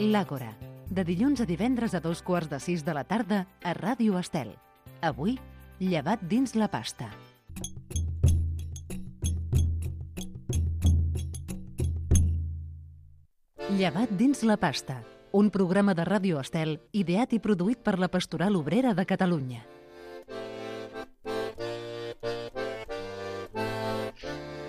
L'Àgora, de dilluns a divendres a 5:15 de la tarda a Ràdio Estel. Avui, llevat dins la pasta. Llevat dins la pasta, un programa de Ràdio Estel ideat i produït per la Pastoral Obrera de Catalunya.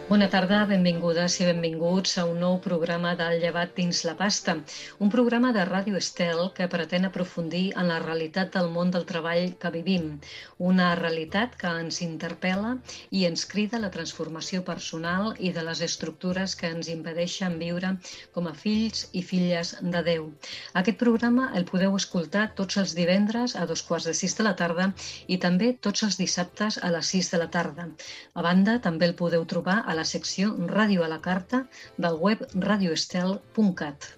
Bona tarda, benvingudes i benvinguts a un nou programa del Llevat dins la pasta, un programa de Ràdio Estel que pretén aprofundir en la realitat del món del treball que vivim, una realitat que ens interpel·la i ens crida a la transformació personal i de les estructures que ens impedeixen viure com a fills i filles de Déu. Aquest programa el podeu escoltar tots els divendres a 5:15 de la tarda i també tots els dissabtes a les 6 de la tarda. A banda, també el podeu trobar a la secció Ràdio a la Carta del web radioestel.cat.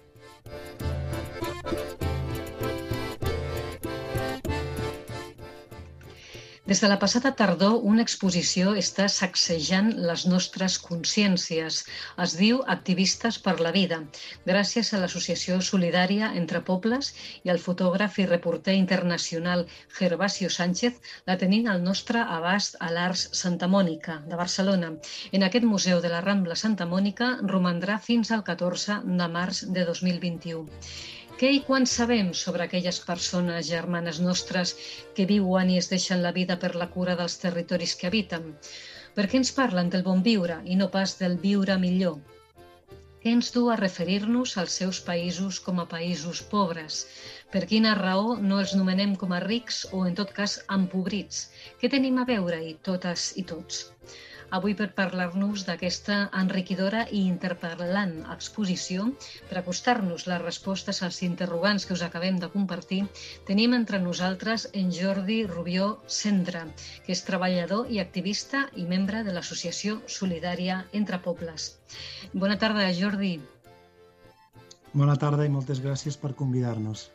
Des de la passada tardor, una exposició està sacsejant les nostres consciències. Es diu Activistes per la Vida, gràcies a l'Associació Solidària Entre Pobles i al fotògraf i reporter internacional Gervasio Sánchez, la tenim al nostre abast a l'Arts Santa Mònica, de Barcelona. En aquest Museu de la Rambla Santa Mònica romandrà fins al 14 de març de 2021. Què i quan sabem sobre aquelles persones germanes nostres que viuen i es deixen la vida per la cura dels territoris que habiten? Per què ens parlen del bon viure i no pas del viure millor? Què ens du a referir-nos als seus països com a països pobres? Per quina raó no els nomenem com a rics o, en tot cas, empobrits? Què tenim a veure-hi totes i tots? Avui, per parlar-nos d'aquesta enriquidora i interpel·lant exposició, per acostar-nos les respostes als interrogants que us acabem de compartir, tenim entre nosaltres en Jordi Rubió Cendra, que és treballador i activista i membre de l'Associació Solidària Entre Pobles. Bona tarda, Jordi. Bona tarda i moltes gràcies per convidar-nos.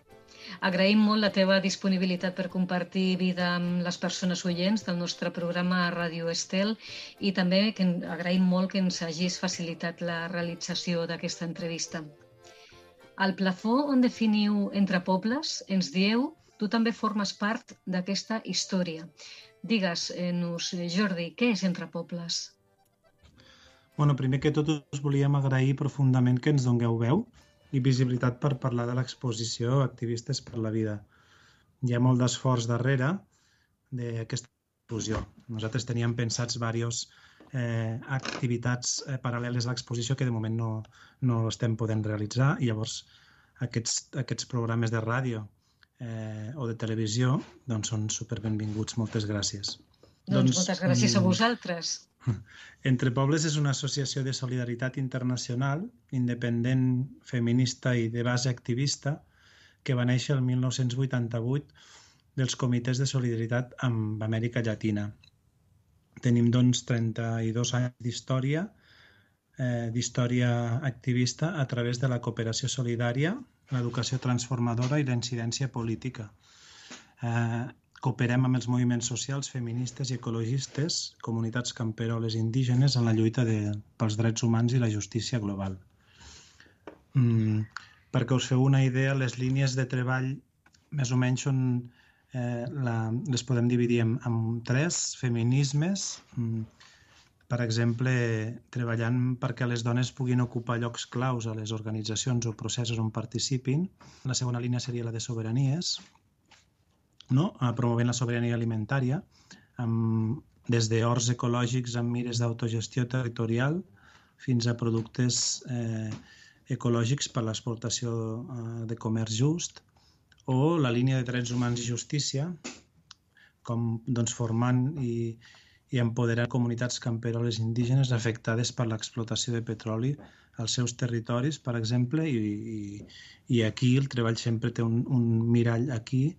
Agraïm molt la teva disponibilitat per compartir vida amb les persones oients del nostre programa a Ràdio Estel i també agraïm molt que ens hagis facilitat la realització d'aquesta entrevista. Al plafó on definiu Entre Pobles, ens dieu, tu també formes part d'aquesta història. Digues-nos, Jordi, què és Entre Pobles? Primer que tot us volíem agrair profundament que ens dongueu veu i visibilitat per parlar de l'exposició Activistes per la Vida. Hi ha molt d'esforç darrere d'aquesta exposició. Nosaltres teníem pensats diverses activitats paral·leles a l'exposició que de moment no estem podent realitzar i llavors aquests programes de ràdio o de televisió són superbenvinguts. Moltes gràcies. Moltes gràcies a vosaltres. Entre Pobles és una associació de solidaritat internacional, independent, feminista i de base activista, que va néixer el 1988 dels comitès de solidaritat amb Amèrica Llatina. Tenim, 32 anys d'història activista a través de la cooperació solidària, l'educació transformadora i la incidència política. Cooperem amb els moviments socials, feministes i ecologistes, comunitats camperoles indígenes en la lluita pels drets humans i la justícia global. Perquè us feu una idea, les línies de treball més o menys les podem dividir en 3 feminismes. Per exemple, treballant perquè les dones puguin ocupar llocs claus a les organitzacions o processos on participin. La segona línia seria la de sobiranies, promovent la sobirania alimentària des d'horts ecològics amb mires d'autogestió territorial fins a productes ecològics per a l'exportació de comerç just, o la línia de drets humans i justícia, com formant i empoderant comunitats camperoles indígenes afectades per l'explotació de petroli als seus territoris, per exemple, i aquí el treball sempre té un mirall aquí,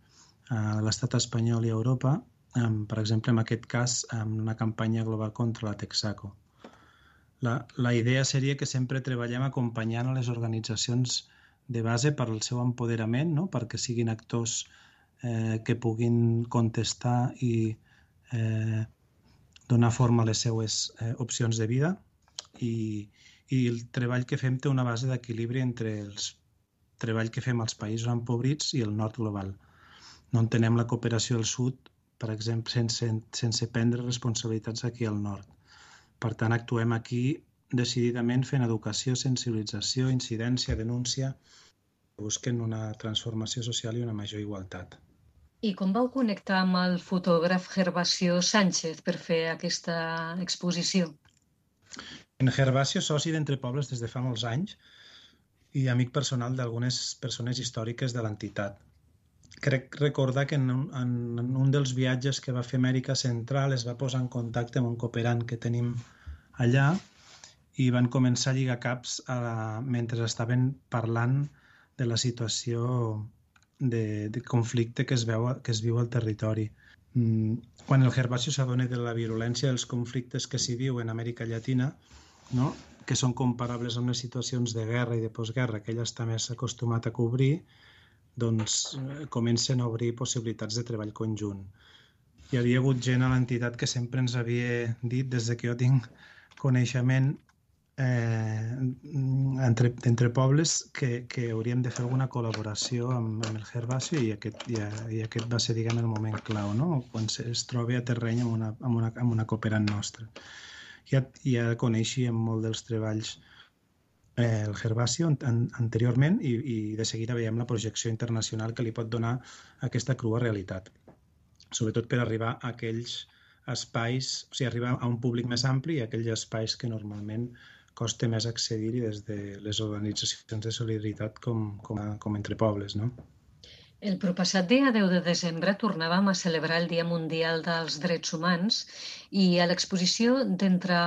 a l'estat espanyol i a Europa, per exemple, en aquest cas, amb una campanya global contra la Texaco. La idea seria que sempre treballem acompanyant a les organitzacions de base per al seu empoderament, perquè siguin actors que puguin contestar i donar forma a les seues opcions de vida, i el treball que fem té una base d'equilibri entre els treball que fem als països empobrits i el nord global. No entenem la cooperació al sud, per exemple, sense prendre responsabilitats aquí al nord. Per tant, actuem aquí decididament fent educació, sensibilització, incidència, denúncia, busquen una transformació social i una major igualtat. I com vau connectar amb el fotògraf Gervasio Sánchez per fer aquesta exposició? En Gervasio és soci d'Entre Pobles des de fa molts anys i amic personal d'algunes persones històriques de l'entitat. Crec recordar que en un dels viatges que va fer a Amèrica Central es va posar en contacte amb un cooperant que tenim allà i van començar a lligar caps mentre estaven parlant de la situació de conflicte que es viu al territori. Quan el Gervasio s'adona de la virulència dels conflictes que s'hi viu en Amèrica Llatina, no? Que són comparables amb les situacions de guerra i de postguerra que ell està més acostumat a cobrir, doncs comencen a obrir possibilitats de treball conjunt. Hi havia hagut gent a l'entitat que sempre ens havia dit, des que jo tinc coneixement entre pobles, que hauríem de fer alguna col·laboració amb el Gervasio i aquest va ser, diguem, el moment clau, no? Quan es troba a terreny amb una cooperant nostra. Ja coneixíem molt dels treballs el Gervasio anteriorment i de seguida veiem la projecció internacional que li pot donar aquesta crua realitat, sobretot per arribar a aquells espais, o sigui, arribar a un públic més ampli i a aquells espais que normalment costa més accedir-hi des de les organitzacions de solidaritat com Entre Pobles, no? El proppassat dia 10 de desembre tornàvem a celebrar el Dia Mundial dels Drets Humans i a l'exposició d'Entre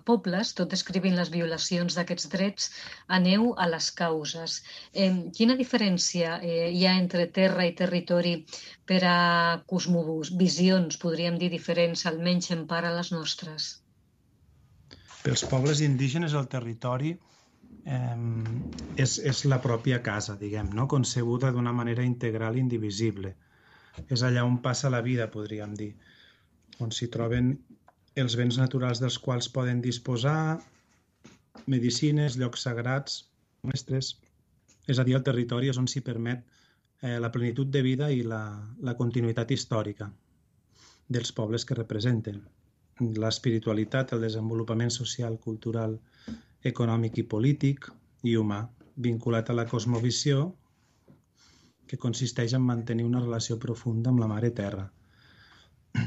Pobles, tot descrivint les violacions d'aquests drets, aneu a les causes. Quina diferència hi ha entre terra i territori per a cosmovisions, podríem dir, diferents, almenys en part a les nostres? Pels pobles indígenes el territori és la pròpia casa, diguem, no? Concebuda d'una manera integral i indivisible. És allà on passa la vida, podríem dir, on s'hi troben els béns naturals dels quals poden disposar, medicines, llocs sagrats, mestres. És a dir, el territori és on s'hi permet la plenitud de vida i la continuïtat històrica dels pobles que representen. L'espiritualitat, el desenvolupament social, cultural, econòmic i polític i humà, vinculat a la cosmovisió que consisteix en mantenir una relació profunda amb la Mare Terra.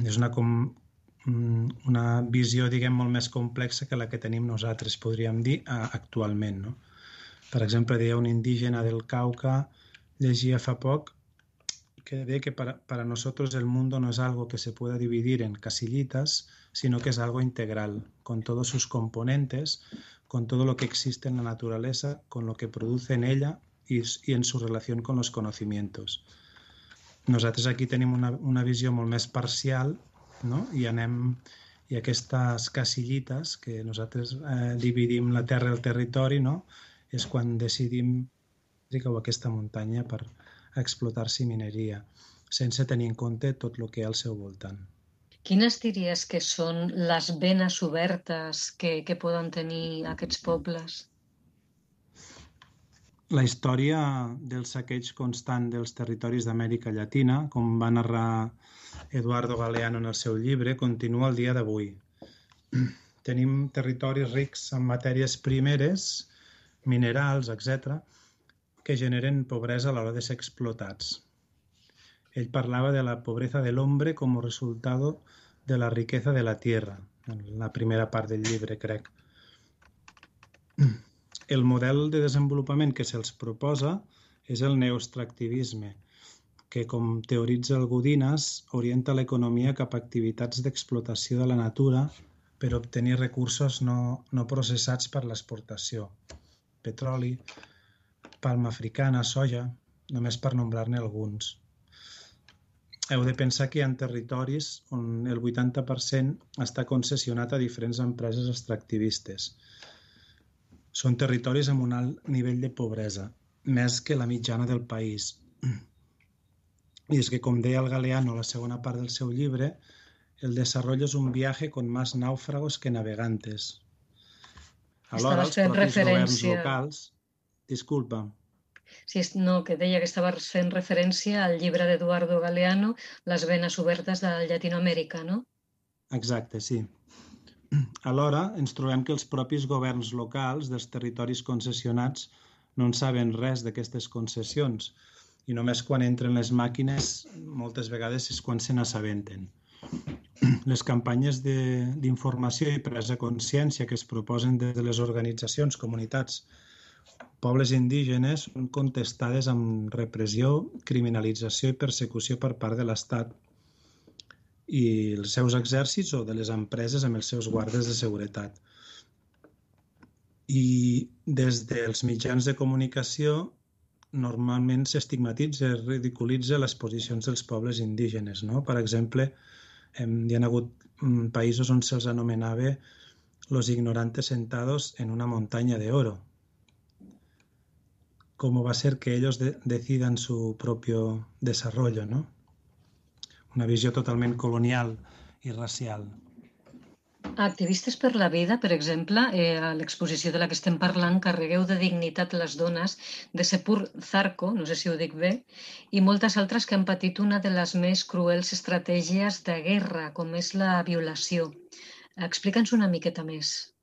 És una visió, diguem, molt més complexa que la que tenim nosaltres, podríem dir, actualment, no? Per exemple, deia un indígena del Cauca, llegia fa poc, que deia que para nosotros el mundo no es algo que se pueda dividir en casillitas, sino que es algo integral, con todos sus componentes, con todo lo que existe en la naturaleza, con lo que produce en ella y en su relación con los conocimientos. Nosaltres aquí tenim una visió molt més parcial, no? I aquestes casillites que nosaltres dividim la terra i el territori, no? És quan decidim aquesta muntanya per explotar-s'hi mineria, sense tenir en compte tot el que hi ha al seu voltant. Quines diries que són les venes obertes que poden tenir aquests pobles? La història del saqueig constant dels territoris d'Amèrica Llatina, com va narrar Eduardo Galeano en el seu llibre, continua el dia d'avui. Tenim territoris rics en matèries primeres, minerals, etc., que generen pobresa a l'hora de ser explotats. Ell parlava de la pobreza del hombre como resultado de la riqueza de la tierra, en la primera part del llibre, crec. El model de desenvolupament que se'ls proposa és el neoextractivisme, que, com teoritza el Godinez, orienta l'economia cap a activitats d'explotació de la natura per obtenir recursos no processats per l'exportació. Petroli, palma africana, soja, només per nombrar-ne alguns. Heu de pensar que hi ha territoris on el 80% està concessionat a diferents empreses extractivistes. Són territoris amb un alt nivell de pobresa, més que la mitjana del país. I és que, com deia el Galeano a la segona part del seu llibre, el desarrollo és un viaje con más náufragos que navegantes. Alhora, els propis governs locals... Disculpa. Sí, no, que deia que estaves fent referència al llibre d'Eduardo Galeano, Les venes obertes de Llatinoamèrica, no? Exacte, sí. Alhora, ens trobem que els propis governs locals dels territoris concessionats no en saben res d'aquestes concessions i només quan entren les màquines moltes vegades és quan se n'assabenten. Les campanyes d'informació i presa de consciència que es proposen des de les organitzacions, comunitats, pobles indígenes són contestades amb repressió, criminalització i persecució per part de l'Estat i els seus exèrcits o de les empreses amb els seus guardes de seguretat. I des dels mitjans de comunicació normalment s'estigmatitza i ridiculitza les posicions dels pobles indígenes, no? Per exemple, hi ha hagut països on se'ls anomenava los ignorantes sentados en una montaña de oro. ¿Cómo va a ser que ellos decidan su propio desarrollo, no? Una visió totalment colonial i racial. Activistes per la vida, per exemple, a l'exposició de la que estem parlant, Carregueu de dignitat les dones, de Sepur Zarco, no sé si ho dic bé, i moltes altres que han patit una de les més cruels estratègies de guerra, com és la violació. Explica'ns una miqueta més.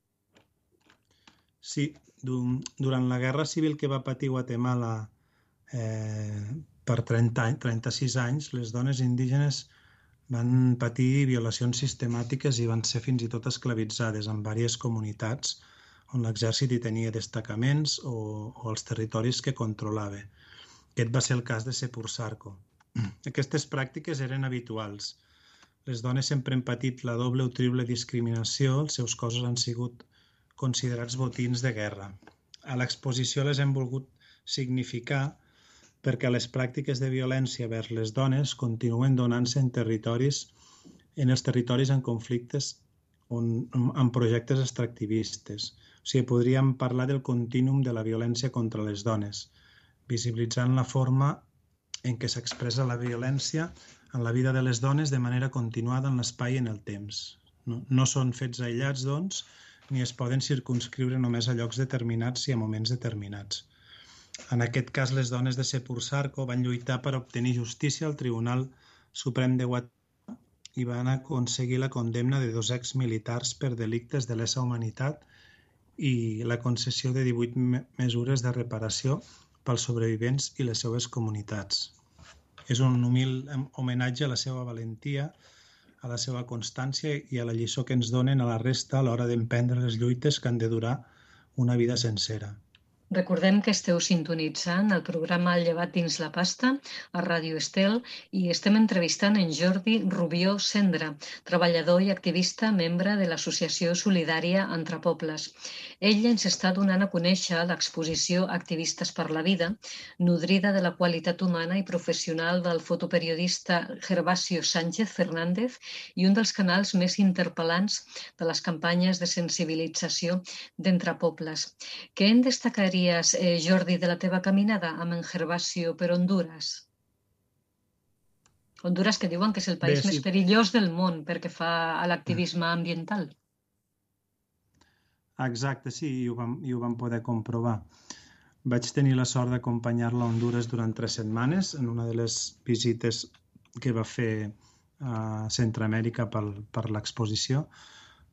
Sí, durant la guerra civil que va patir Guatemala per 36 anys, les dones indígenes van patir violacions sistemàtiques i van ser fins i tot esclavitzades en diverses comunitats on l'exèrcit hi tenia destacaments o els territoris que controlava. Aquest va ser el cas de Sepur Zarco. Aquestes pràctiques eren habituals. Les dones sempre han patit la doble o triple discriminació, els seus cossos han sigut considerats botins de guerra. A l'exposició les hem volgut significar perquè les pràctiques de violència vers les dones continuen donant-se en els territoris en conflictes amb projectes extractivistes. O sigui, podríem parlar del contínuum de la violència contra les dones, visibilitzant la forma en què s'expressa la violència en la vida de les dones de manera continuada en l'espai i en el temps. No són fets aïllats, doncs, ni es poden circumscriure només a llocs determinats i a moments determinats. En aquest cas, les dones de Sepur Zarco van lluitar per obtenir justícia al Tribunal Suprem de Guatemala i van aconseguir la condemna de 2 exmilitars per delictes de lesa humanitat i la concessió de 18 mesures de reparació pels sobrevivents i les seves comunitats. És un humil homenatge a la seva valentia, a la seva constància i a la lliçó que ens donen a la resta a l'hora d'emprendre les lluites que han de durar una vida sencera. Recordem que esteu sintonitzant el programa El llevat dins la pasta a Ràdio Estel i estem entrevistant en Jordi Rubió Cendra, treballador i activista, membre de l'Associació Solidària Entre Pobles. Ell ens està donant a conèixer l'exposició Activistes per la Vida, nodrida de la qualitat humana i professional del fotoperiodista Gervasio Sánchez Fernández i un dels canals més interpel·lants de les campanyes de sensibilització d'Entre Pobles. Què en destacaria, Jordi, de la teva caminada amb en Gervasio per Honduras? Honduras, que diuen que és el país més perillós del món perquè fa a l'activisme ambiental. Exacte, sí, i ho vam poder comprovar. Vaig tenir la sort d'acompanyar-la a Honduras durant 3 setmanes en una de les visites que va fer a Centroamèrica per l'exposició.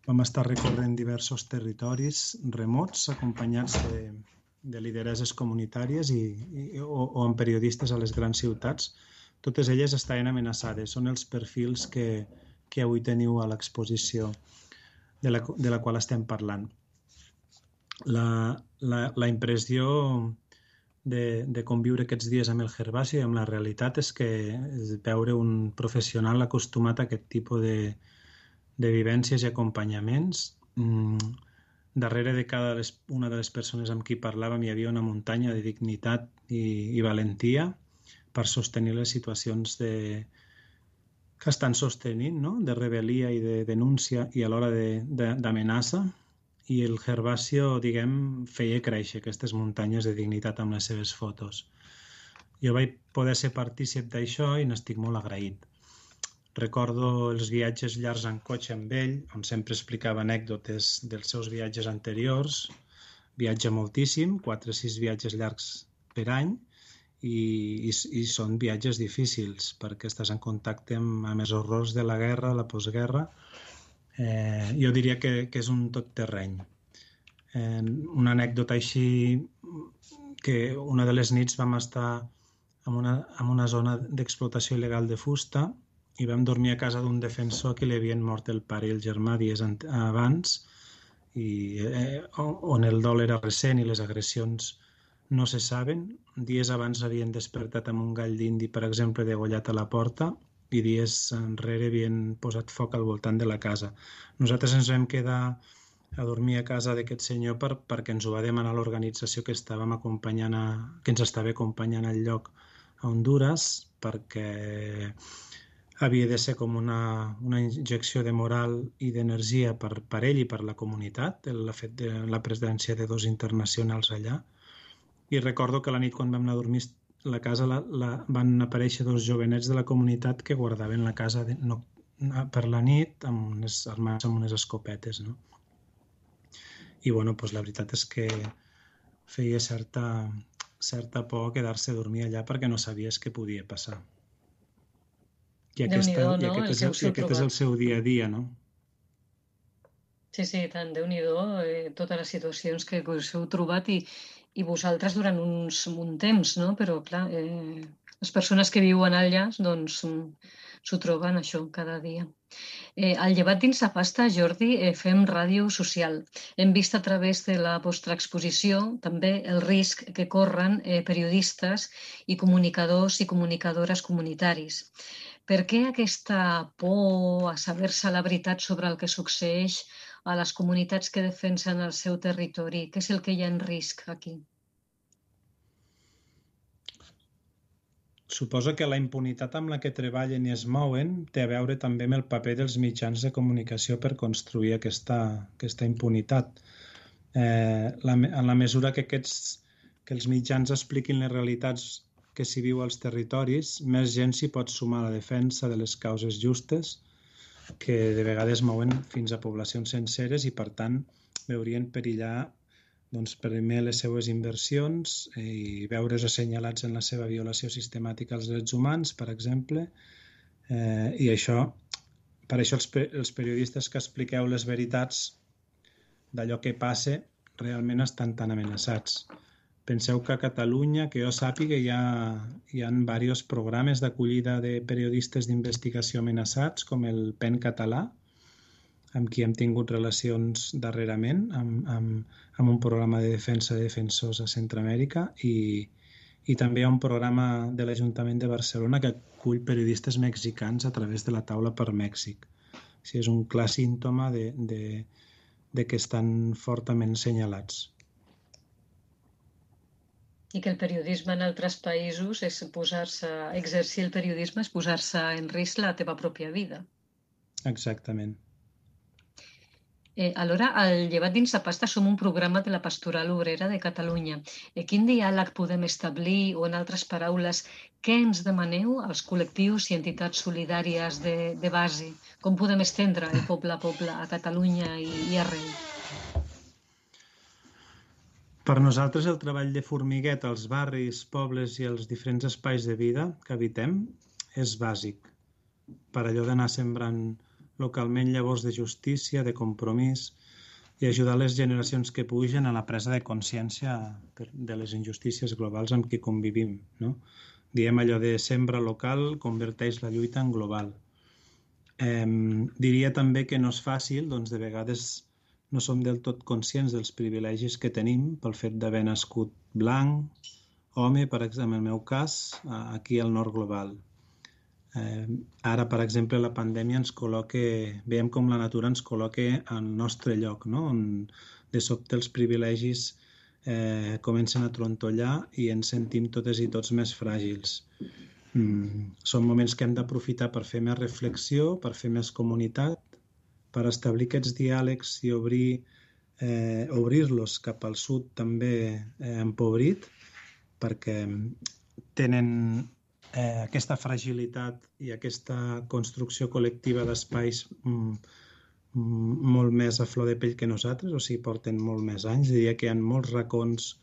Vam estar recorrent diversos territoris remots acompanyats de lideresses comunitàries o amb periodistes a les grans ciutats. Totes elles estaven amenaçades. Són els perfils que avui teniu a l'exposició de la qual estem parlant. La impressió de conviure aquests dies amb el Gervasio i amb la realitat és que veure un professional acostumat a aquest tipus de vivències i acompanyaments. Darrere de cada una de les persones amb qui parlàvem hi havia una muntanya de dignitat i valentia per sostenir les situacions que estan sostenint, no? De rebel·lia i de denúncia i alhora d'amenaça. I el Gervasio, diguem, feia créixer aquestes muntanyes de dignitat amb les seves fotos. Jo vaig poder ser partícip d'això i n'estic molt agraït. Recordo els viatges llargs en cotxe amb ell, on sempre explicava anècdotes dels seus viatges anteriors. Viatja moltíssim, 4 o 6 viatges llargs per any i són viatges difícils perquè estàs en contacte amb els horrors de la guerra, la postguerra. Jo diria que és un tot terreny. Una anècdota així, que una de les nits vam estar en una zona d'explotació il·legal de fusta i vam dormir a casa d'un defensor que li havien mort el pare i el germà dies abans, on el dol era recent i les agressions no se saben. Dies abans havien despertat amb un gall d'indi, per exemple, degollat a la porta, i dies enrere havien posat foc al voltant de la casa. Nosaltres ens vam quedar a dormir a casa d'aquest senyor perquè ens ho va demanar l'organització que que ens estava acompanyant al lloc a Honduras, perquè havia de ser com una injecció de moral i d'energia per ell i per la comunitat, el fet de la presència de dos internacionals allà. I recordo que la nit quan vam anar a dormir a la casa van aparèixer dos jovenets de la comunitat que guardaven la casa per la nit armats amb unes escopetes, no? I bueno, doncs la veritat és que feia certa por quedar-se a dormir allà perquè no sabies què podia passar. I aquest és el seu dia a dia, no? Sí, tant, Déu-n'hi-do, totes les situacions que us heu trobat i vosaltres durant un temps, no? Però, clar, les persones que viuen allà, doncs, s'ho troben això cada dia. Al Llevat dins la pasta, Jordi, fem ràdio social. Hem vist a través de la vostra exposició també el risc que corren periodistes i comunicadors i comunicadores comunitaris. Per què aquesta por a saber-se la veritat sobre el que succeeix a les comunitats que defensen el seu territori? Què és el que hi ha en risc aquí? Suposo que la impunitat amb la que treballen i es mouen té a veure també amb el paper dels mitjans de comunicació per construir aquesta impunitat. En la mesura que els mitjans expliquin les realitats que s'hi viu als territoris, més gent s'hi pot sumar a la defensa de les causes justes, que de vegades mouen fins a poblacions senceres i, per tant, veurien perillar primer les seues inversions i veure's assenyalats en la seva violació sistemàtica als drets humans, per exemple. I per això els periodistes que expliqueu les veritats d'allò que passa realment estan tan amenaçats. Penseu que a Catalunya, que jo sàpiga, hi ha diversos programes d'acollida de periodistes d'investigació amenaçats, com el PEN català, amb qui hem tingut relacions darrerament, amb un programa de defensa de defensors a Centroamèrica, i també hi ha un programa de l'Ajuntament de Barcelona que acull periodistes mexicans a través de la taula per Mèxic. És un clar símptoma de que estan fortament senyalats. I que el periodisme en altres països és exercir el periodisme és posar-se en risc la teva pròpia vida. Exactament. Alhora, al Llevat dins la pasta som un programa de la Pastoral Obrera de Catalunya. Quin diàleg podem establir o, en altres paraules, què ens demaneu als col·lectius i entitats solidàries de base? Com podem estendre el poble a poble a Catalunya i arreu? Per nosaltres el treball de formiguet als barris, pobles i als diferents espais de vida que habitem és bàsic. Per allò d'anar sembrant localment llavors de justícia, de compromís i ajudar les generacions que pugen a la presa de consciència de les injustícies globals amb què convivim, no? Diem allò de sembra local, converteix la lluita en global. Diria també que no és fàcil, doncs de vegades no som del tot conscients dels privilegis que tenim pel fet d'haver nascut blanc, home, per exemple, en el meu cas, aquí al nord global. Ara, per exemple, la pandèmia ens col·loca, veiem com la natura ens col·loca al nostre lloc, no? On de sobte els privilegis comencen a trontollar i ens sentim totes i tots més fràgils. Són moments que hem d'aprofitar per fer més reflexió, per fer més comunitat, per establir aquests diàlegs i obrir-los cap al sud també empobrit, perquè tenen aquesta fragilitat i aquesta construcció col·lectiva d'espais molt més a flor de pell que nosaltres, o sigui, porten molt més anys. Diria que hi ha molts racons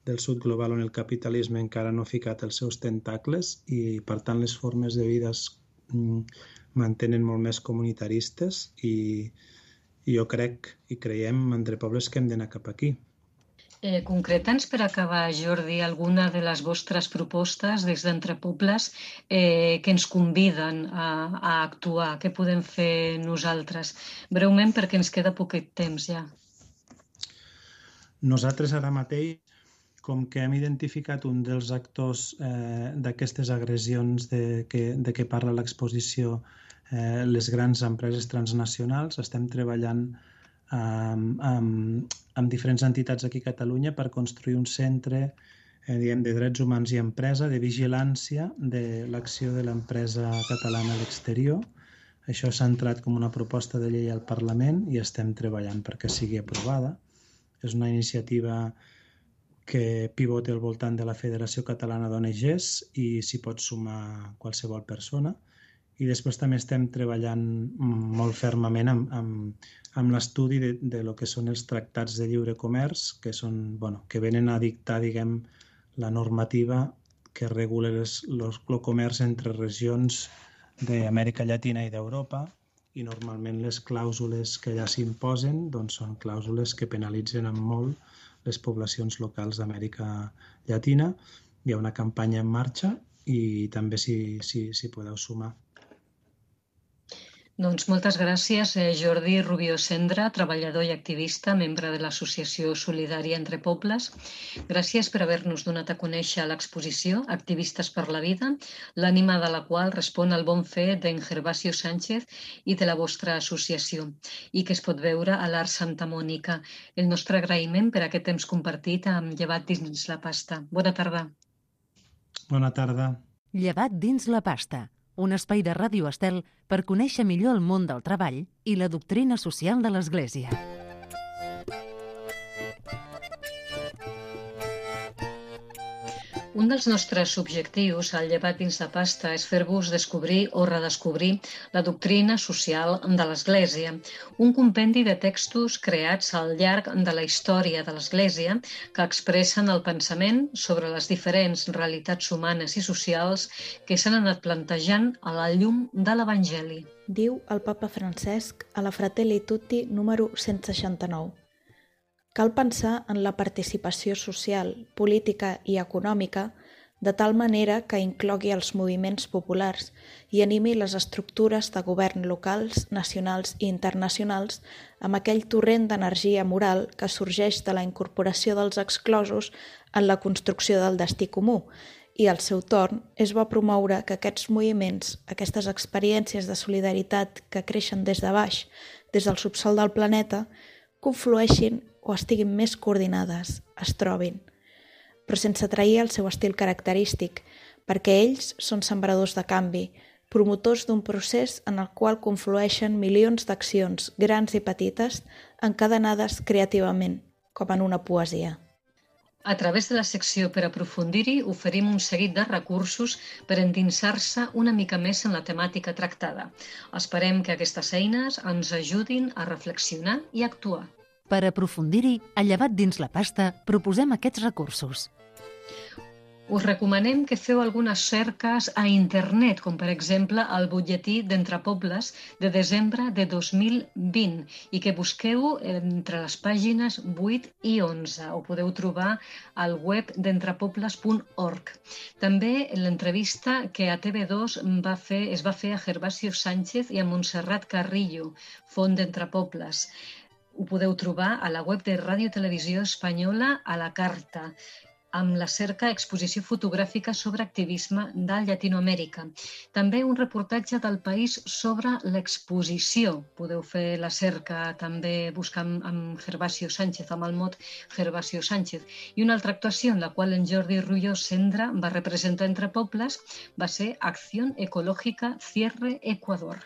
del sud global on el capitalisme encara no ha ficat els seus tentacles i, per tant, les formes de vida es mantenen molt més comunitaristes i jo crec i creiem entre pobles que hem d'anar cap aquí. Concreta'ns per acabar, Jordi, alguna de les vostres propostes des d'Entre Pobles que ens conviden a actuar. Què podem fer nosaltres? Breument, perquè ens queda poquet temps ja. Nosaltres ara mateix, com que hem identificat un dels actors d'aquestes agressions de què parla l'exposició, les grans empreses transnacionals, estem treballant amb diferents entitats aquí a Catalunya per construir un centre de drets humans i empresa, de vigilància de l'acció de l'empresa catalana a l'exterior. Això s'ha entrat com una proposta de llei al Parlament i estem treballant perquè sigui aprovada. És una iniciativa que pivota al voltant de la Federació Catalana d'ONGs i s'hi pot sumar qualsevol persona. I després també estem treballant molt fermament amb l'estudi de lo que són els tractats de lliure comerç, que venen a dictar, diguem, la normativa que regula el comerç entre regions d'Amèrica Llatina i d'Europa, i normalment les clàusules que allà s'imposen són clàusules que penalitzen en molt les poblacions locals d'Amèrica Llatina. Hi ha una campanya en marxa i també s'hi podeu sumar. Doncs moltes gràcies, Jordi Rubió Cendra, treballador i activista, membre de l'Associació Solidària Entre Pobles. Gràcies per haver-nos donat a conèixer l'exposició Activistes per la Vida, l'ànima de la qual respon al bon fer d'en Gervasio Sánchez i de la vostra associació, i que es pot veure a l'Art Santa Mònica. El nostre agraïment per aquest temps compartit amb Llevat dins la pasta. Bona tarda. Bona tarda. Llevat dins la pasta, un espai de Ràdio Estel per conèixer millor el món del treball i la doctrina social de l'Església. Un dels nostres objectius al Llevat dins la pasta és fer-vos descobrir o redescobrir la doctrina social de l'Església, un compendi de textos creats al llarg de la història de l'Església que expressen el pensament sobre les diferents realitats humanes i socials que s'han anat plantejant a la llum de l'Evangeli. Diu el papa Francesc a la Fratelli Tutti número 169. Cal pensar en la participació social, política i econòmica de tal manera que inclogui els moviments populars i animi les estructures de govern locals, nacionals i internacionals amb aquell torrent d'energia moral que sorgeix de la incorporació dels exclosos en la construcció del destí comú i, al seu torn, és bo promoure que aquests moviments, aquestes experiències de solidaritat que creixen des de baix, des del subsòl del planeta, conflueixin o estiguin més coordinades, es trobin, però sense trair el seu estil característic, perquè ells són sembradors de canvi, promotors d'un procés en el qual conflueixen milions d'accions, grans i petites, encadenades creativament, com en una poesia. A través de la secció per aprofundir-hi oferim un seguit de recursos per endinsar-se una mica més en la temàtica tractada. Esperem que aquestes eines ens ajudin a reflexionar i actuar. Per aprofundir-hi, a Llevat dins la pasta, proposem aquests recursos. Us recomanem que feu algunes cerques a internet, com per exemple el butlletí d'Entre Pobles de desembre de 2020 i que busqueu entre les pàgines 8 i 11. Ho podeu trobar al web d'entrepobles.org. També l'entrevista que a TV2 es va fer a Gervasio Sánchez i a Montserrat Carrillo, font d'Entre Pobles. Ho podeu trobar a la web de Ràdio Televisió Espanyola a la carta, amb la cerca exposició fotogràfica sobre activisme de Llatinoamèrica. També un reportatge del País sobre l'exposició. Podeu fer la cerca també buscant amb Gervasio Sánchez, amb el mot Gervasio Sánchez. I una altra actuació en la qual en Jordi Rubió Cendra va representar Entre Pobles va ser Acción Ecológica Cierre Ecuador.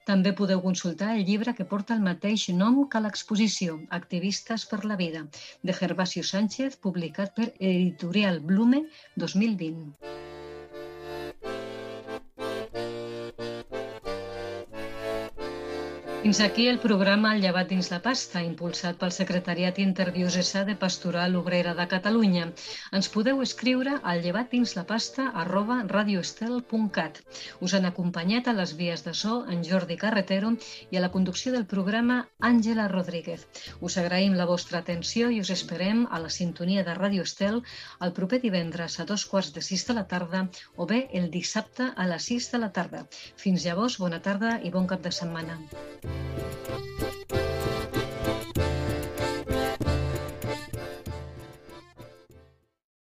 També podeu consultar el llibre que porta el mateix nom que l'exposició, Activistes per la Vida, de Gervasio Sánchez, publicat per Editorial Blume 2020. Fins aquí el programa El llevat dins la pasta, impulsat pel Secretariat Interdiocesà de Pastoral Obrera de Catalunya. Ens podeu escriure al llevatdinsLapasta@radioestel.cat. Us han acompanyat a les vies de so en Jordi Carretero i a la conducció del programa Àngela Rodríguez. Us agraïm la vostra atenció i us esperem a la sintonia de Radio Estel el proper divendres a 2:15 de la tarda o bé el dissabte a les 6 de la tarda. Fins llavors, bona tarda i bon cap de setmana.